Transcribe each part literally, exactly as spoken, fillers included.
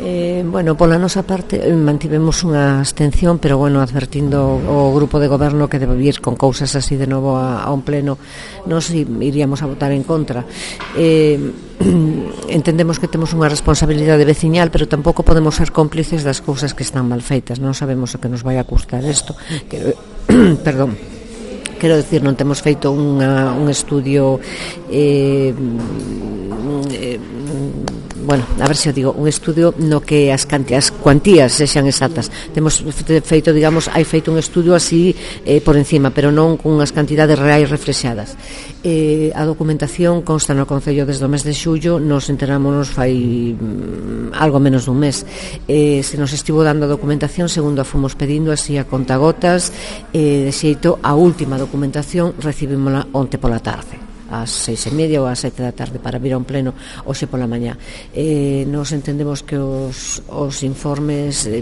Eh, bueno, pola nosa parte mantivemos unha abstención, pero bueno, advertindo o grupo de goberno que debe vir con cousas así de novo a, a un pleno, nos iríamos a votar en contra. Eh, entendemos que temos unha responsabilidade veciñal, pero tampouco podemos ser cómplices das cousas que están mal feitas. Non sabemos o que nos vai a custar isto. Que, perdón. Quero dicir, non temos feito unha, un estudio eh, eh, bueno, a ver se o digo, un estudio no que as, as cuantías sexan exactas. Temos feito, digamos, hai feito un estudio así eh, por encima, pero non con unhas cantidades reais reflexadas. Eh, a documentación consta no Concello desde o mes de xullo, nos enterámonos fai mm, algo menos dun mes. Eh, se nos estivo dando a documentación segundo a fomos pedindo así a contagotas, eh, de xeito a última documentación recibímola onte pola tarde, ás seis e media ou ás sete da tarde, para vir a un pleno hoxe pola mañá. Eh, nos entendemos que os, os informes eh,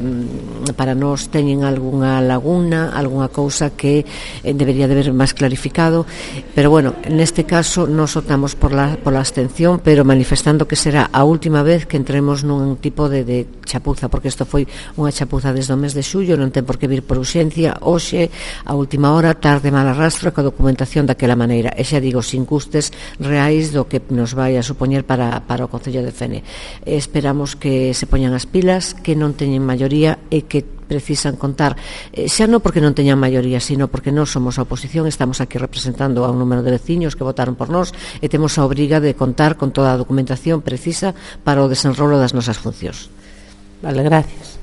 para nós teñen algunha laguna, algunha cousa que eh, debería de ver máis clarificado, pero bueno, neste caso nos optamos por la, por la abstención, pero manifestando que será a última vez que entremos nun tipo de, de chapuza, porque isto foi unha chapuza desde o mes de xullo, non ten por que vir por urxencia hoxe, a última hora, tarde mal arrastro, coa documentación daquela maneira, e xa digo, sin custes reais do que nos vai a supoñer para, para o Concello de Fene. Esperamos que se poñan as pilas, que non teñen maioría e que precisan contar, eh, xa non porque non teñan maioría, sino porque nós somos a oposición, estamos aquí representando a un número de veciños que votaron por nós e temos a obriga de contar con toda a documentación precisa para o desenrolo das nosas funcións. Vale, gracias.